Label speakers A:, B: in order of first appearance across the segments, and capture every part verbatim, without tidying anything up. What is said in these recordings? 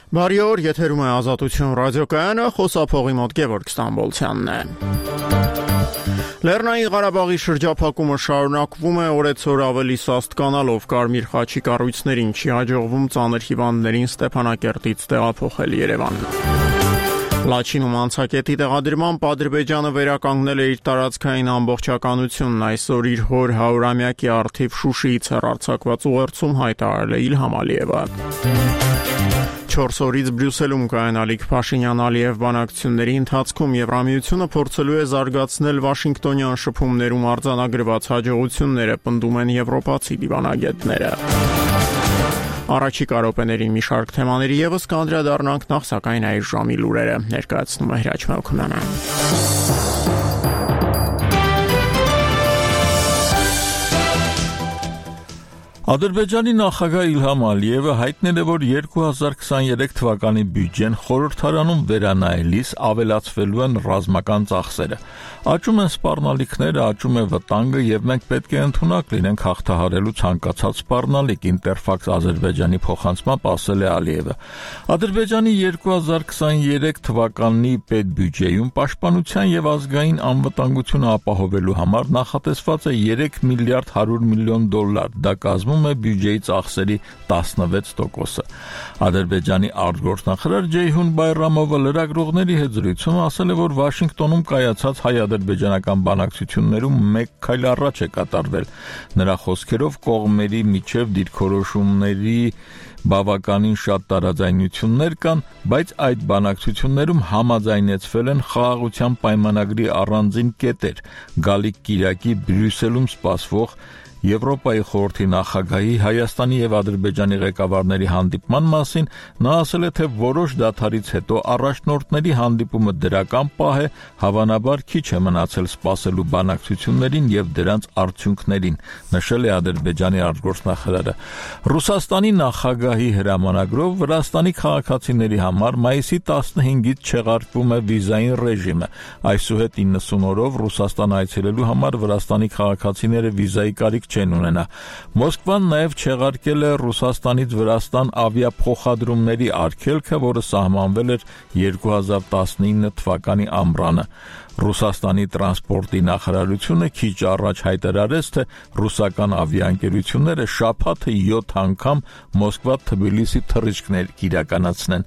A: Բարի օր, եթերում է Ազատություն ռադիոկայանը, խոսափողի մոտ Գևորգ Ստամբոլցյանն է։ Լեռնային Ղարաբաղի շրջափակումը շարունակվում է, օրեցօր ավելի սաստ կանալով Կարմիր խաչի կառույցներին չի հաջողվում ծանր հիվանդներին Ստեփանակերտից տեղափոխել Երևան։ Լաչինում անցակետի տեղադրմամբ Ադրբեջանը վերականգնել է իր տարածքային ամբողջականությունն, այսօր իր հոր հարյուրամյակի առթիվ Շուշիից հեռարձակված ուղերձում հայտարարել է Իլհամ Ալիևը։ Չորս օրից Բրյուսելում կայանալիք Փաշինյան-Ալիև բանակցությունների ընթացքում Եվրամիությունը փորձելու է զարգացնել Վաշինգտոնյան շփումներում արձանագրված հաջողությունները, պնդում են եվրոպացի դիվանագետները։ Առաջիկա րոպեների մի շարք թեմաների ևս կանդրադառնանք, նախ սակայն այս ժամի լուրերը ներկայացնում է Հրաչ Մելքոնյանը։
B: Ադրբեջանի նախագահ Իլհամ Ալիևը հայտնել է, որ երկու հազար քսաներեք թվականի բյուջեն խորհրդարանում վերանայելիս ավելացվելու են ռազմական ծախսերը։ Աճում են սպառնալիքները, աճում է վտանգը եւ մենք պետք է ընդունակ լինենք հաղթահարելու ցանկացած սպառնալիք, Ինտերֆաքս Ադրբեջանի փոխանցմամբ ասել է Ալիևը։ Ադրբեջանի երկու հազար քսաներեք թվականի պետբյուջեում պաշտպանության եւ ազգային անվտանգությունը ապահովելու համար նախատեսված է երեք միլիարդ հարյուր միլիոն դոլար, դա կազմում է բյուջեի ծախսերի տասնվեց տոկոսը։ Ադրբեջանի արտգործնախարար Ջեյհուն Բայրամովը լրագրողների հետ զրույցում ասել է, որ Վաշինգտոնում կայացած հայ-ադրբեջանական բանակցություններում մեկ քայլ առաջ է կատարվել։ Նրա խոսքերով կողմերի միջև դիրքորոշումների բավականին շատ տարաձայնություններ կան, բայց այդ բանակցություններում համաձայնեցվել են խաղաղության պայմանագրի առանձին կետեր, գալիք կիրակի Բրյուսելում սպասվող Եվրոպայի խորհրդի նախագահի Հայաստանի եւ Ադրբեջանի ղեկավարների հանդիպման մասին նա ասել է, թե որոշ դադարից հետո առաջնորդների հանդիպումը դրական պահ է, հավանաբար քիչ է մնացել սպասելու բանակցություններին եւ դրանց արդյունքներին, նշել է Ադրբեջանի արտգործնախարարը։ Ռուսաստանի նախագահի հրամանագրով Վրաստանի քաղաքացիների համար մայիսի տասնհինգից չեղարկվում է վիզային ռեժիմը։ Այսուհետ իննսուն օրով Ռուսաստան այցելելու համար Վրաստանի քաղաքացիները վիզայի կարիք չեն ունենա։ Մոսկվան նաև չեղարկել է Ռուսաստանից Վրաստան ավիափոխադրումների արգելքը, որը սահմանվել էր երկու հազար տասնինը թվականի ամռանը։ Ռուսաստանի տրանսպորտի նախարարությունը քիչ առաջ հայտարարեց, թե ռուսական ավիաընկերությունները շաբաթը յոթ անգամ Մոսկվա-Թբիլիսի թռիչքներ կիրականացնեն։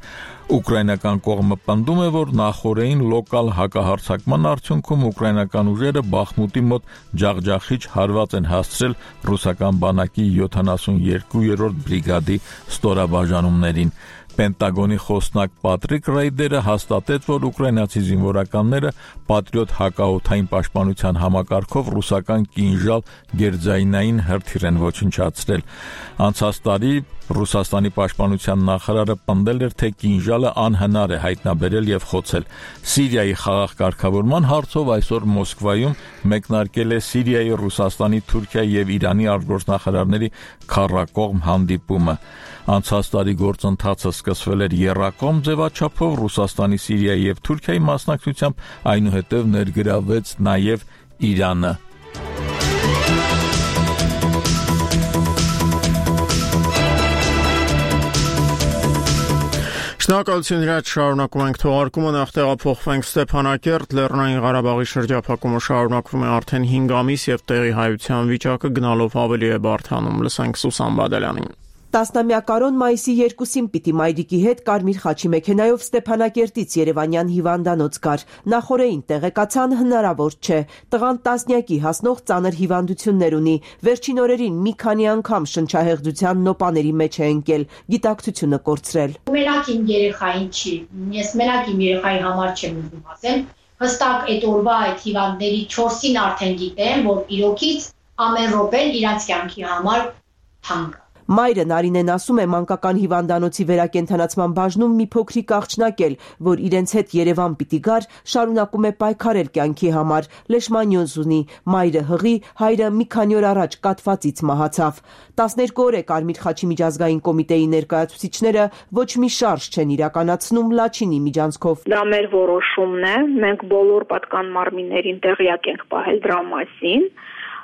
B: Ուկրաինական կողմը պնդում է, որ նախօրեին լոկալ հակահարձակման արդյունքում ուկրաինական ուժերը Բախմուտի մոտ ջախջախիչ հարված են հասցրել ռուսական բանակի յոթանասունյոթերորդ բրիգադի ստորաբաժանումներին։ Պենտագոնի խոսնակ Պատրիկ Ռայդերը հաստատեց, որ ուկրաինացի զինվորականները Պատրիոտ հակաօդային պաշտպանության համակարգով ռուսական կինժալ գերձայնային հրթիռ են ոչնչացրել։ Անցած տարի Ռուսաստանի պաշտպանության նախարարը պնդել էր, թե կինժալը անհնար է հայտնաբերել եւ խոցել։ Սիրիայի խաղաղ կարգավորման հարցով այսօր Մոսկվայում մեկնարկել է Սիրիայի, Ռուսաստանի, Թուրքիայի եւ Իրանի արտգործնախարարների քառակողմ հանդիպումը։ Անցած տարի գործընթացը սկսվել էր եռակողմ ձևաչափով Ռուսաստանի, Սիրիայի եւ Թուրքիայի մասնակցությամբ, այնուհետև ներգրավվեց նաեւ Իրանը։
A: Շնորհակալություն Հրաչ, շարունակում ենք թողարկումը, նախ տեղափոխվենք Ստեփանակերտ, Լեռնային Ղարաբաղի շրջափակումը շարունակվում է արդեն հինգ ամիս եւ տեղի հայության վիճակը գնալով ավելի է բարդանում, լսենք Սուսան Բադալյանին։
C: Տասնամյակարոն մայիսի երկուսին պիտի Մայրիկի հետ Կարմիր խաչի մեքենայով Ստեփանակերտից Երևանյան հիվանդանոց գար։ Նախօրեին տեղեկացան հնարավոր չէ։ Տղան տասնյակի հասնող ծանր հիվանդություններ ունի։ Վերջին օրերին մի քանի անգամ շնչահեղձության նոպաների մեջ է ընկել, գիտակցությունը կորցրել։
D: Մենակ իմ երեխային չի, ես մենակ իմ երեխայի համար չեմ ուզում ասել։ Հստակ այդ օրվա այդ հիվանդների չորսին արդեն գիտեմ, որ իրոքից ամեն րոպեն իրանց կյանքի համար թանկ է։
C: Մայրը Նարինեն ասում է, մանկական հիվանդանոցի վերակենդանացման բաժնում մի փոքրիկ աղջնակ էլ, որ իրենց հետ Երևան պիտի գար, շարունակում է պայքարել կյանքի համար, լեշմանյոզ ունի, մայրը հղի, հայրը մի քանի օր առաջ կաթվածից մահացավ։ տասներկու օր է Կարմիր խաչի միջազգային կոմիտեի ներկայացուցիչները ոչ մի շարժ չեն իրականացնում Լաչինի միջանցքով։
E: Դա մեր որոշումն է, մենք բոլոր պատկան մարմիններին տեղյակ ենք պահել դրա մասին։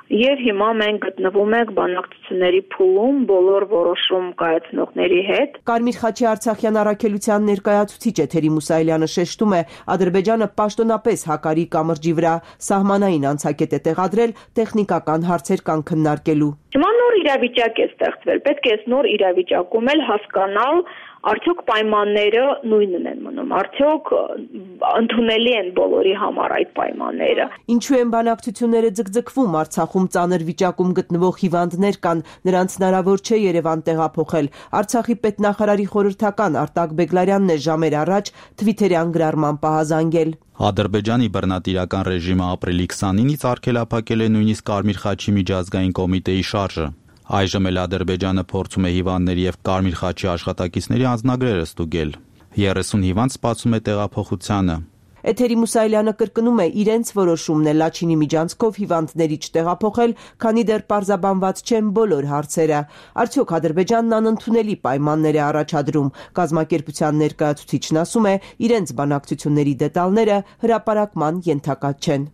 E: Եվ հիմա մենք գտնվում ենք բանակցությունների փուլում բոլոր որոշում կայացնողների հետ։
C: Կարմիր խաչի Արցախյան առաքելության ներկայացուցիչ Էթերի Մուսայելյանը շեշտում է, Ադրբեջանը պաշտոնապես հակարի կամրջի վրա սահմանային անցակետ է տեղադրել տեխնիկական հարցեր կան քննարկելու։
E: Հիմա նոր իրավիճակ է ստեղծվել, պետք է այս նոր իրավիճակում էլ հասկանալ, արդյոք պայմանները նույնն են մնում, արդյոք ընդունելի են բոլորի համար այդ պայմանները։
C: Ինչու են բանակցությունները ձգձգվում, Արցախում ծանր վիճակում գտնվող հիվանդներ կան, նրանց հնարավոր չէ Երևան տեղափոխել։ Արցախի պետնախարարի խորհրդական Արտակ Բեգլարյանն է ժամեր առաջ թվիթերյան գրառման պահազանգել։
F: Ադրբեջանի բռնատիրական ռեժիմը ապրիլի քսանինից արգելափակել է նույնիսկ Կարմիր խաչի միջազգային կոմիտեի շարժը։ Այժմ էլ Ադրբեջանը փորձում է հիվանդների եւ Կարմիր խաչի աշխատակիցների անձնագրերը ստուգել։ երեսուն հիվանդ սպասում է տեղափոխությանը։
C: Էթերի Մուսայելյանը կրկնում է, իրենց որոշումն է Լաչինի միջանցքով հիվանդների չտեղափոխել, քանի դեռ պարզաբանված չեն բոլոր հարցերը։ Արդյոք Ադրբեջանն անընդունելի պայմաններ է առաջադրում։ Կազմակերպության ներկայացուցիչն ասում է, իրենց բանակցությունների դետալները հրապարակման ենթակա չեն։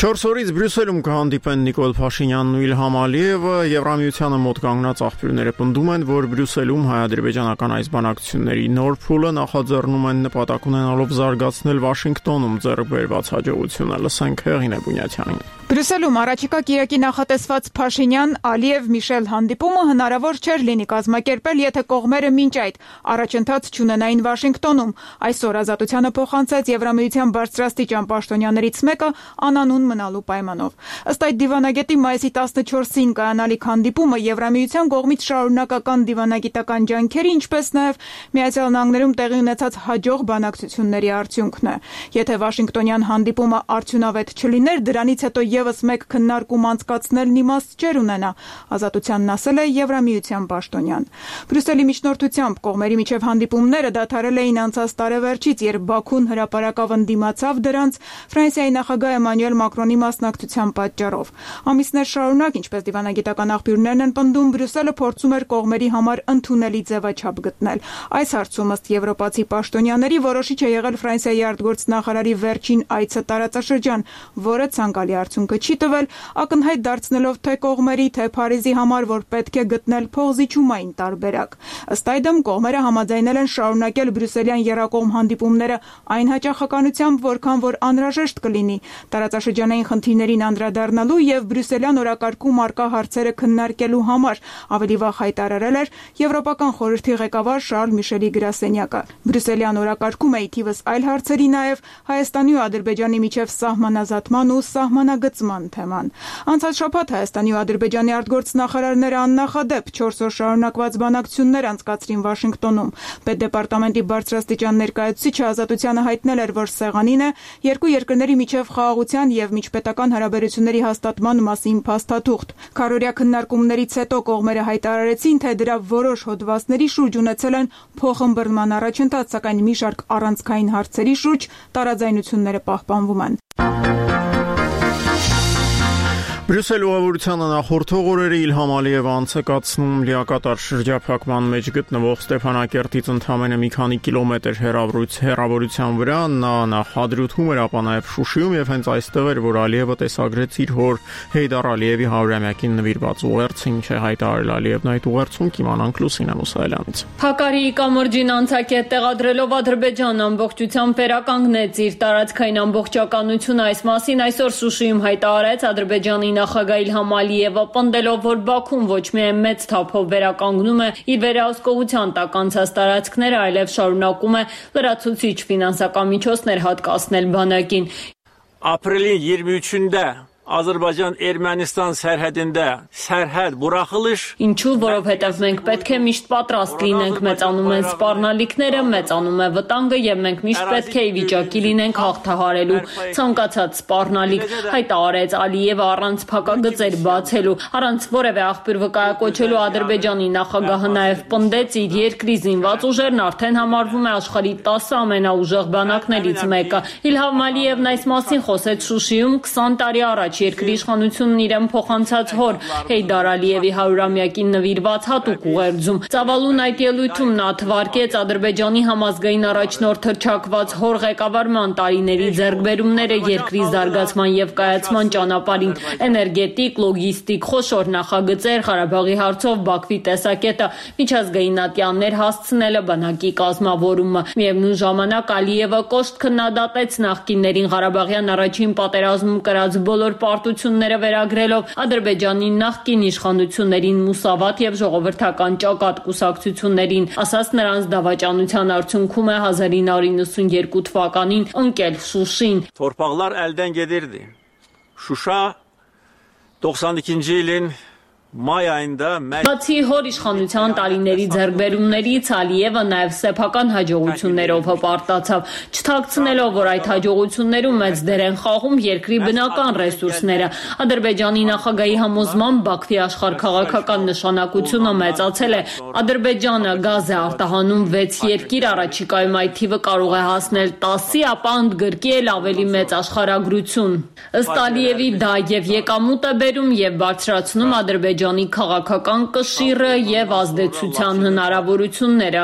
A: Չորս օրից Բրյուսելում կհանդիպեն Նիկոլ Փաշինյանն ու Իլհամ Ալիևը, Եվրամիությանը մոտ կանգնած աղբյուրները պնդում են, որ Բրյուսելում հայ-ադրբեջանական այս բանակցությունների նոր փուլը նախաձեռնում են նպատակ ունենալով զարգացնել Վաշինգտոնում ձեռք բերված հաջողությունը։ Լսենք Հեղինե Բունյաթյանին։
G: Բրյուսելում առաջիկա կիրակի նախատեսված Փաշինյան-Ալիև-Միշել հանդիպումը հնարավոր չէր լինի կազմակերպել, եթե կողմերը մինչ այդ առաջընթաց չունենային Վաշինգտոնում։ Այսօր Ազատությանը փոխանցեց Եվրամիության բարձրաստիճան պաշտոնյաներից մեկը անանուն մնալու պայմանով։ Ըստ այդ դիվանագետի մայիսի տասնչորսին կայանալիք հանդիպումը Եվրամիության կողմից շարունակական դիվանագիտական ջանքերի, ինչպես նաև Միացյալ Նահանգներում տեղի ունեցած հաջող բանակցությունների արդյունքն է։ Եթե Վաշինգտոնյան հանդիպումը արդյունավետ չլիներ, դրանից հետո եւս մեկ քննարկում անցկացնելն իմաստ չէր ունենա, Ազատությանն ասել է Եվրամիության պաշտոնյան։ Բրյուսելի միջնորդությամբ կողմերի միջև հանդիպումները դադարել էին անցած տարեվերջից, երբ Բաքուն հրապարակավ ընդդիմացավ դրանց Ֆրանսիայի նախագահ Էմանուել Մակրոնի մասնակցության պատճառով։ Ամիսներ շարունակ, ինչպես դիվանագիտական աղբյուրներն են պնդում, Բրյուսելը փորձում էր կողմերի համար ընդունելի ձևաչափ գտնել։ Այս հարցում ըստ եվրոպացի պաշտոնյաների որոշիչ է եղել Ֆրանսիայի արտգործնախարարի վերջին այցը տարածաշրջան, որը ցանկալի արդյունքը չի տվել, ակնհայտ դարձնելով թե կողմերի, թե Փարիզի համար, որ պետք է գտնել փոխզիջումային տարբերակ։ Ըստ այդմ կողմերը համաձայնել են շարունակել բրյուսելյան եռակողմ հանդիպումները այն հաճախականությամբ, որքան որ անհրաժեշտ կլինի, տարածաշրջանային խնդիրներին անդրադառնալու եւ բրյուսելյան օրակարգում առկա հարցերը քննարկելու համար, ավելի վաղ հայտարարել էր Եվրոպական խորհրդի ղեկավար Շարլ Միշելի գրասենյակը։ Բրյուսելյան օրակարգում է թիվս այլ հարցերի նաև Հայաստանի ու Ադրբեջանի միջև սահմանազատման ու սահմանագծման թեման։ Անցած շաբաթ Հայաստանի ու Ադրբեջանի արտգործնախարարները աննախադեպ չորս օր շարունակված բանակցություններ անցկացրին Վաշինգտոնում։ Պետդեպարտամենտի բարձրաստիճան ներկայացուցիչը Ազատությանը հայտնել էր, որ սեղանին է երկու երկրների միջև խաղաղության եւ միջպետական հարաբերությունների հաստատման մասին փաստաթուղթ։ Քառօրյա քննարկումներից հետո կողմերը հայտարարեցին, թե դրա որոշ հոդվածների շուրջ ունեցել են փոխըմբռնման առաջընթաց, սակայն մի շարք առանցքային հարցերի շուրջ տարաձայնությունները պահպանվում են։
A: Բրյուսել ուղևորությանը նախորդող օրերը Իլհամ Ալիևը անցկացնում լիակատար շրջափակման մեջ գտնվող Ստեփանակերտից ընդամենը մի քանի կիլոմետր հեռավորության վրա, նա նախադրյութում էր, ապա նաև Շուշիում, եւ հենց այստեղ էր, որ Ալիևը տեսագրեց իր հոր Հեյդար Ալիևի հարյուրամյակին նվիրված ուղերձը, ինչ է հայտարարել Ալիևն այդ ուղերձում, կիմանանք Լուսինե Մուսայելյանից։
H: Հակարիի կամրջին անցակետ տեղադրելով Ադրբեջանն ամբողջությամբ վերականգնեց իր տարածքային ամբողջականությունը, այս մասին այսօր Շուշիում հայտարարեց Ադրբեջանի նախագահ Իլհամ Ալիևը, պնդելով, որ Բաքուն ոչ միայն մեծ թափով վերականգնում է իր վերահսկողության տակ անցած տարածքները, այլև շարունակում է լրացուցիչ ֆինանսական միջոցներ հատկացնել բանակին։
I: Ապրիլի երեքուկը Ադրբեջան-Էրմենստան սերհեդինդե սերհեդ բուրախլիշ
H: Ինչու, որովհետև մենք պետք է միշտ պատրաստ լինենք, մեծանում են սպառնալիքները, մեծանում է վտանգը եւ մենք միշտ պետք է ի վիճակի լինենք հաղթահարելու ցանկացած սպառնալիք, հայտարարեց Ալիևը առանց փակագծեր բացելու, առանց որևէ աղբյուր վկայակոչելու Ադրբեջանի նախագահը նաեւ պնդեց իր երկրի զինված ուժերն արդեն համարվում է աշխարհի տասը ամենաուժեղ բանակներից մեկը։ Իլհամ Ալիևն այս մասին խոսեց Շուշիում քսան տարի առաջ երկրի իշխանությունն իրեն փոխանցած հոր Հեյդար Ալիևի հարյուրամյակին նվիրված հատուկ ուղերձում։ Ծավալուն այդ ելույթում նա թվարկեց Ադրբեջանի համազգային առաջնորդ հռչակված հոր ղեկավարման տարիների ձեռքբերումները երկրի զարգացման եւ կայացման ճանապարհին, էներգետիկ, լոգիստիկ, խոշոր նախագծեր, Ղարաբաղի հարցով Բաքվի տեսակետը, միջազգային ատյաններ հասցնելը, բանակի կազմավորումը։ Միևնույն ժամանակ Ալիևը կոշտ քննադատեց նախկիններին Ղարաբաղյան առաջին պատերազմում կրած բոլոր պարտությունները վերագրելով Ադրբեջանի նախկին իշխանություններին մուսավատ եւ ժողովրդական ճակատ կուսակցություններին, ասաց նրանց դավաճանության արդյունքում է հազար ինը հարյուր նվաթ թվականին ընկել Շուշին։
I: Torpaqlar əldən gedirdi. Şuşa doksan ikinci ilin Մայ ayında
H: Բացի հոր իշխանության տարիների ձեռքբերումներից Ալիևը նաև սեփական հաջողություններով հպարտացավ, չթաքցնելով, որ այդ հաջողություններում մեծ դեր են խաղում երկրի բնական ռեսուրսները։ Ադրբեջանի նախագահի համոզմամբ Բաքվի աշխարհքաղաքական նշանակությունը մեծացել է։ Ադրբեջանը գազ է արտահանում վեց երկիր, առաջիկայում այդ թիվը կարող է հասնել տասի, ապա ընդգրկի էլ ավելի մեծ աշխարհագրություն։ Ըստ Ալիևի դա եւ եկամուտ է բերում եւ բարձրացնում Ադրբեջանի Ադրբեջանի քաղաքական կշիռը եւ ազդեցության հնարավորությունները։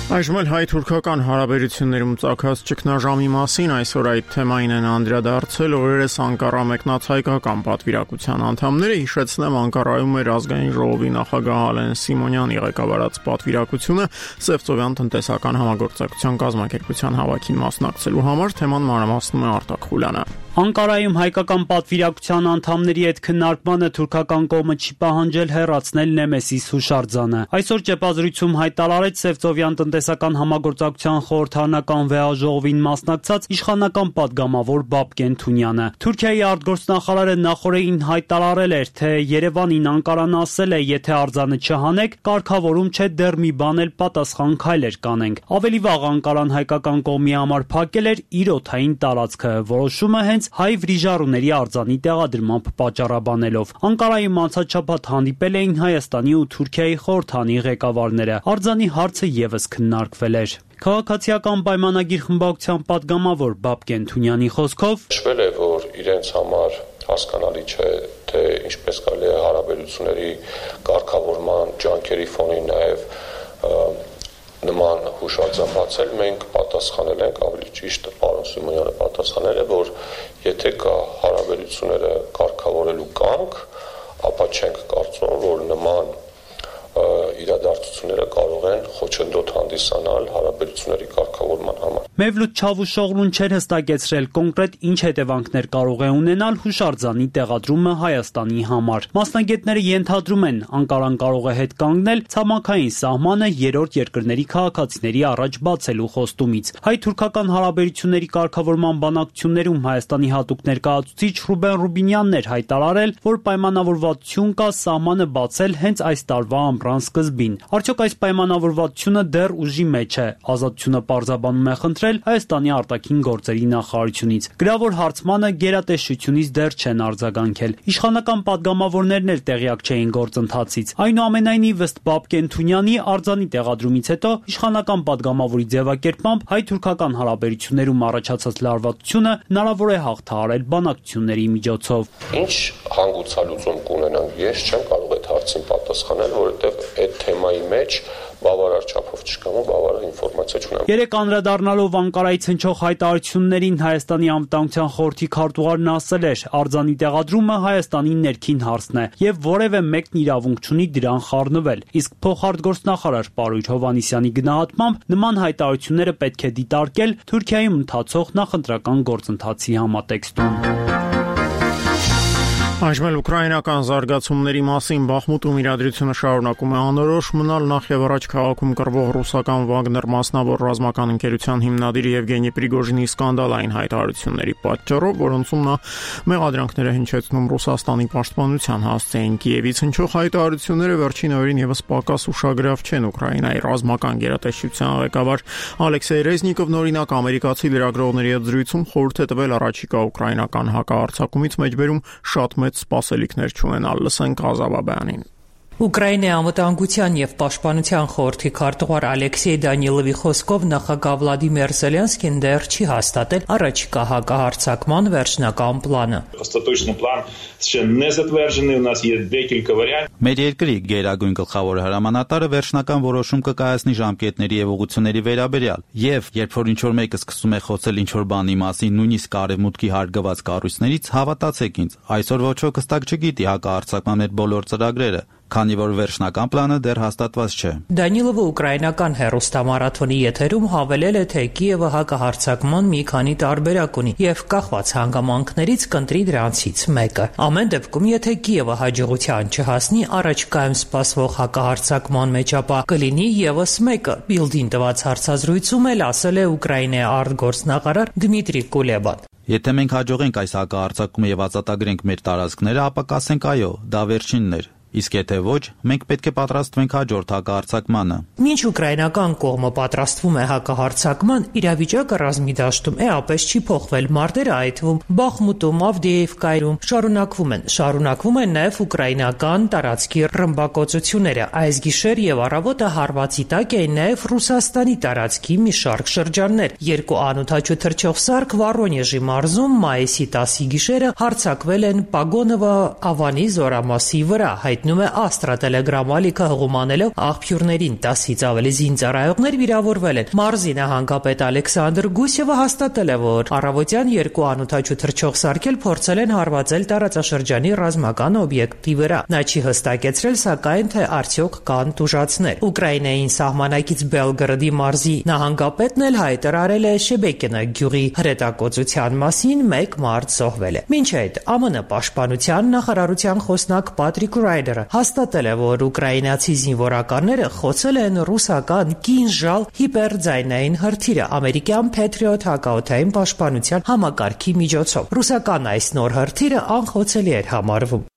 A: Այժմ էլ հայ-թուրքական հարաբերություններում ծագած ճգնաժամի մասին այսօր այդ թեմային են անդրադարձել օրերս Անկարա մեկնած հայկական պատվիրակության անդամները։ Հիշեցնեմ, Անկարայում էր ազգային ժողովի նախագահ Ալեն Սիմոնյանի ղեկավարած պատվիրակությունը Սևծովյան տնտեսական համագործակցության կազմակերպության հավաքին մասնակցելու համար։ Թեման մանրամասնում է Արտակ Խուլյանը։
J: Անկարայում հայկական պատվիրակության անդամների հետ քննարկմանը թուրքական կողմը չի պահանջել հեռացնել Նեմեսիս հուշարձանը։ Այսօր ճեպազրույցում հայտարարեց Սևծովյան տնտեսական համագործակցության խորհրդարանական վեհաժողովին մասնակցած իշխանական падգամավոր Բաբկեն Թունյանը։ Թուրքիայի արտգործնախարարը նախորդին հայտարարել էր, թե Երևանին Անկարան ասել է, եթե արձանը չհանեք, կարգավորում չէ դեռ մի բան էլ պատասխան քայլեր կանենք։ Ավելի վաղ Անկարան հայկական կողմի համար փակել էր իր օդային տարածքը, որոշումը հենց հայ վրիժառուների արձանի տեղադրմամբ պատճառաբանելով։ Անկարայում անցած շաբաթ հանդիպել էին Հայաստանի ու Թուրքիայի խորհրդանի ղեկավարները։ Արձանի հարցը եւս քննարկվել էր։ Քաղաքացիական պայմանագիր խմբակցության падգամավոր Բաբկեն Թունյանի խոսքով
K: նշվել է, որ իրենց համար հասկանալի չէ, թե ինչպես կարելի է հարաբերությունների կարգավորման ջանքերի ֆոնին նաեւ նման հուշարձան բացել, մենք պատասխանել ենք, ավելի ճիշտ պարոն Սիմոնյանը պատասխանել է, որ եթե կա հարաբերությունները կարգավորելու կամք, ապա չենք կարծում, որ նման իրադարձությունները կարող են խոչընդոտ հանդիսանալ հարաբերությունների կարգավորման համար։
J: Մևլութ Չավուշօղլուն չէր հստակեցրել կոնկրետ ինչ հետևանքներ կարող է ունենալ հուշարձանի տեղադրումը Հայաստանի համար։ Մասնագետները ենթադրում են, Անկարան կարող է հետ կանգնել ցամաքային սահմանը երրորդ երկրների քաղաքացիների առաջ բացելու խոստումից։ Հայ-թուրքական հարաբերությունների կարգավորման բանակցություններում Հայաստանի հատուկ ներկայացուցիչ Ռուբեն Ռուբինյանն էր հայտարարել, որ պայմանավորվածություն կա սահմանը բացել հենց այս տարվա ամռան սկզբին։ Արդյոք այս պայմանավորվածությունը դեռ ուժի մեջ է։ Ազատությունը պարզաբանում է խնդրել Հայաստանի արտաքին գործերի նախարարությունից։ Գրավոր հարցմանը գերատեսչությունից դեռ չեն արձագանքել։ Իշխանական падգամավորներն էլ տեղյակ չէին գործընթացից։ Այնուամենայնիվ, ըստ Բաբկեն Թունյանի արձանի տեղադրումից հետո իշխանական падգամավորի ձևակերպմամբ հայ-թուրքական հարաբերություններում առաջացած լարվածությունը հնարավոր է հաղթահարել բանակցությունների միջոցով։
K: Ինչ հանգուցալուծում կունենանք, ես չեմ կարող այդ հարցին պատասխանել, որովհետև այդ թեմայի մեջ բավարար չափով չկամ ու բավարար ինֆորմացիա չունեմ։
J: Երեք անդրադառնալով Անկարայից հնչող հայտարարություններին Հայաստանի անվտանգության խորհրդի քարտուղարն ասել էր, արձանի տեղադրումը Հայաստանի ներքին հարցն է եւ որևէ մեկն իրավունք չունի դրան խառնվել։ Իսկ փոխարտգործնախարար Պարույր Հովհաննիսյանի գնահատմամբ նման հայտարարությունները պետք է դիտարկել Թուրքիայում ընթացող նախընտրական գործընթացի համատեքստում։
A: Այժմ էլ ուկրաինական զարգացումների մասին Բախմուտում իրադրությունը շարունակում է անորոշ մնալ նախ եւ առաջ քաղաքում կռվող ռուսական Վագներ մասնավոր ռազմական ընկերության հիմնադիր Եվգենի Պրիգոժինի սկանդալային հայտարարությունների պատճառով, որոնցում նա մեղադրանքներ է հնչեցնում Ռուսաստանի պաշտպանության հասցեին Կիևից հնչող հայտարարությունները վերջին օրերին եւս պակաս ուշագրավ չեն Ուկրաինայի ռազմական գերատեսչության ղեկավար Ալեքսեյ Ռեզնիկովն օրինակ ամերիկացի լրագրողների հետ զրույցում խորհուրդ է տվել առաջիկա ուկրաինական հակահարձակումից մեջբերում շատ մեծ սպասելիքներ չունենալ։ Լսենք Ղազավաբյանին։
L: Ուկրաինայի անվտանգության եւ պաշտպանության խորհրդի քարտուղար Ալեքսեյ Դանիլովի խոսքով նախագահ Վլադիմիր Զելենսկին դեռ չի հաստատել առաջիկա հակահարձակման վերջնական պլանը։
F: Մեր երկրի գերագույն գլխավոր հրամանատարը վերջնական որոշում կկայացնի ժամկետների եւ ուղղությունների վերաբերյալ, եւ երբ որ ինչ-որ մեկը սկսում է խոսել ինչ-որ բանի մասին, նույնիսկ արևմուտքի հարգված կառույցներից, հավատացեք ինձ, այսօր ոչ ոք հստակ չգիտի հակահարձակման մեր բոլոր ծրագրերը, քանի որ վերջնական պլանը դեռ հաստատված չէ։
L: Դանիլովը ուկրաինական հեռուստամարաթոնի եթերում հավելել է, թե Կիևը հակահարձակման մի քանի տարբերակ ունի եւ կախված հանգամանքներից կընտրի դրանցից մեկը։ Ամեն դեպքում, եթե Կիևը հաջողության չհասնի առաջիկայում սպասվող հակահարձակման մեջ, ապա կլինի եւս մեկը։ Բիլդին տված հարցազրույցում էլ ասել է Ուկրաինայի արտգործնախարար Դմիտրի Կուլեբան։
F: Եթե մենք հաջողենք այս հակահարձակումը եւ ազատագրենք մեր տարածքները, ապա կասենք այո, դա վերջինն էր։ Իսկ եթե ոչ, մենք պետք է պատրաստվենք հաջորդ հակահարձակմանը։
L: Մինչ ուկրաինական կողմը պատրաստվում է հակահարձակման, իրավիճակը ռազմի դաշտում էապես չի փոխվել։ Մարտերը, այդ թվում Բախմուտում, Ավդիևկայում, շարունակվում են։ Շարունակվում են նաև ուկրաինական տարածքի ռմբակոծությունները։ Այս գիշեր եւ առավոտը հարվածի տակ էին նաև Ռուսաստանի տարածքի մի շարք շրջաններ։ Երկու անօդաչու թռչող սարք Վորոնեժի մարզում մայիսի տասի գիշերը հարձակվել են Պագոնովա Ավանի զորամասի վրա։ Հայտնում է Աստրա Տելեգրամ ալիքը հղումանելով աղբյուրներին տասից ավելի զինծառայողներ վիրավորվել են։ Մարզի նահանգապետ Ալեքսանդր Գուսևը հաստատել է, որ առավոտյան երկու անօդաչու թռչող սարքել փորձել են հարվածել տարածաշրջանի ռազմական օբյեկտի վրա։ Նա չի հստակեցրել, սակայն թե արդյոք կան տուժածներ։ Ուկրաինային սահմանակից Բելգրադի մարզի նահանգապետն էլ հայտարարել է Շեբեկինա գյուղի հրետակոծության մասին, մեկ մարդ զոհվել է։ Մինչ այդ ԱՄՆ պաշտպանության նախարարության խոսնակ Պատրիկ Ռայդերը հաստատել է, որ ուկրաինացի զինվորականները խոցել են ռուսական Կինժալ հիպերձայնային հրթիռը ամերիկյան Patriot հակաօդային պաշտպանության համակարգի միջոցով։ Ռուսական այս նոր հրթիռը անխոցելի էր համարվում։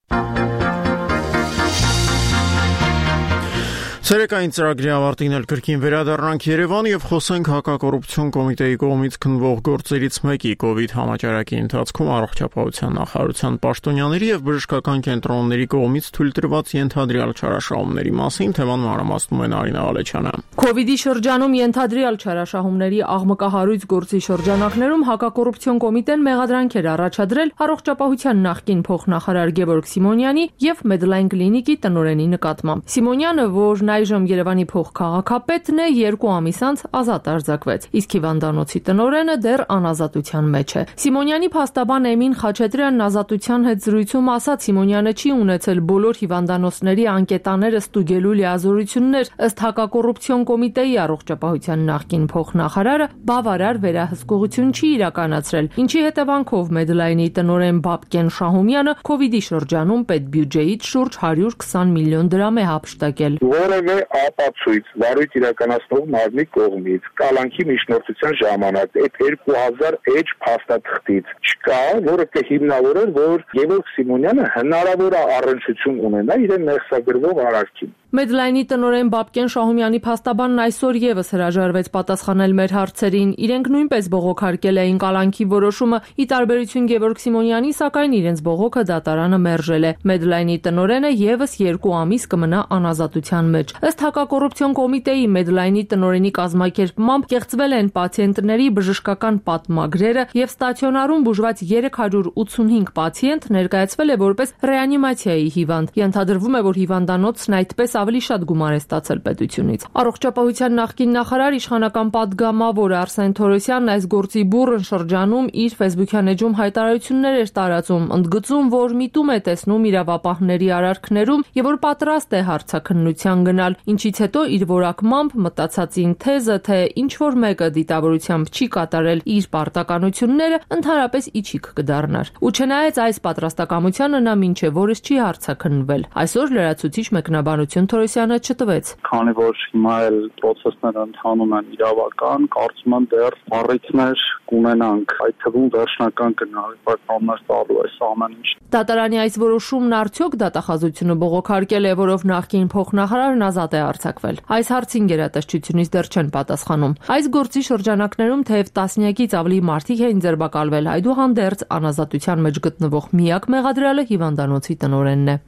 A: Ցերեկային ծրագրի ավարտին էլ կրկին վերադառնանք Երևան եւ խոսենք հակակոռուպցիոն կոմիտեի կողմից քննվող գործերից մեկի կոവിഡ് համաճարակի ընթացքում առողջապահության նախարարության պաշտոնյաների եւ բժշկական կենտրոնների կողմից թույլատրված ենթադրյալ չարաշահումների մասին թեման մանրամասնում է Նարինե Ալեչյանը։
M: Կոവിഡի շրջանում ենթադրյալ չարաշահումների աղմկահարույց գործի շրջանակներում հակակոռուպցիոն կոմիտեն մեղադրանքեր առաջադրել առողջապահության նախկին փոխնախարար Գևորգ Սիմոնյանի եւ Medline Clinic-ի տնօրենի նկատմամբ։ Սիմոնյանը, որ այժմ Երևանի փոխքաղաքապետն է, երկու ամիս անց ազատ արձակվեց, իսկ հիվանդանոցի տնօրենը դեռ անազատության մեջ է։ Սիմոնյանի փաստաբան Էմին Խաչատրյանն ազատության հետ զրույցում ասաց, Սիմոնյանը չի ունեցել բոլոր հիվանդանոցների անկետաները ստուգելու լիազորություններ, ըստ հակակոռուպցիոն կոմիտեի առողջապահության նախկին փոխնախարարը բավարար վերահսկողություն չի իրականացրել, ինչի հետևանքով Medline-ի տնօրեն Բաբկեն Շահումյանը կոവിഡի շրջանում պետբյուջեից շուրջ հարյուր քսան միլիոն դրամ է հափշտակել։
N: Որևէ ապացույց վարույթ իրականացնող մարմնի կողմից կալանքի միջնորդության ժամանակ այդ երկու հազար էջ փաստաթղթից չկա, որը կհիմնավորեր, որ Գևորգ Սիմոնյանը հնարավոր է առնչություն ունենա իրեն մեղսագրվող արարքին։
M: Medline-ի տնօրեն Բաբկեն Շահումյանի փաստաբանն այսօր եւս հրաժարվեց պատասխանել մեր հարցերին։ Իրենք նույնպես բողոքարկել էին կալանքի որոշումը, ի տարբերություն Գևորգ Սիմոնյանի, սակայն իրենց բողոքը դատարանը մերժել է։ Medline-ի տնօրենը եւս երկու ամիս կմնա անազատության մեջ։ Ըստ հակակոռուպցիոն կոմիտեի Medline-ի տնօրենի կազմակերպմամբ կեղծվել են պացիենտների բժշկական պատմագրերը եւ ստացիոնարում բուժված երեք հարյուր ութսունհինգ պացիենտ ներկայացվել է որպես ռեանիմացիայի հիվանդ։ Ենթադրվում է, որ հիվանդանոցն այդպես ավելի շատ գումար է ստացել պետությունից։ Առողջապահության նախկին նախարար իշխանական պատգամավոր Արսեն Թորոսյանն այս գործի բուռն շրջանում իր Facebook-յան էջում հայտարարություններ էր տարածում, ընդգծում, որ միտում է տեսնում իրավապահների արարքներում եւ որ պատրաստ է հարցաքննության գնալ, ինչից հետո իր որակմամբ մտածածին թեզը, թե ինչ որ մեկը դիտավորությամբ չի կատարել իր պարտականությունները, ընդհանրապես իջիկ կդառնար։ Ու չնայած այս պատրաստակամությանը նա մինչև օրս չի հարցաքննվել։ Այսօր լրացուցիչ մեկնաբանություն Թորոսյանը չտվեց։
O: Քանի որ հիմա էլ process-ները ընթանում են իրավական, կարծում եմ դեռ առիթներ կունենանք, այդ թվում վերջնական գնահատականներ տալու այս ամեն ինչ։
M: Դատարանի այս որոշումն արդյոք դատախազությունը բողոքարկել է, որով նախկին փոխնախարարն ազատ է արձակվել։ Այս հարցին գերատեսչությունից դեռ չեն պատասխանում։ Այս գործի շրջանակներում թեև տասնյակից ավելի մարդիկ էին ձերբակալվել, այդուհանդերձ անազատության մեջ գտնվող միակ մեղադրյալը հիվանդանոցի տնօրենն է։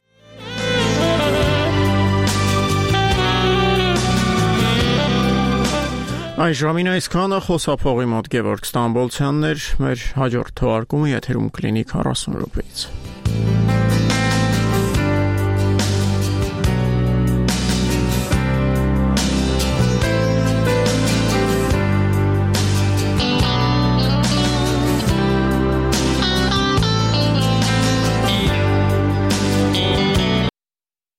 A: Այս ժամին այսքանը խոսափողի մոտ Գևորգ Ստամբոլցյանն էր, մեր հաջորդ թողարկումը եթերում կլինի քառասուն րոպեից։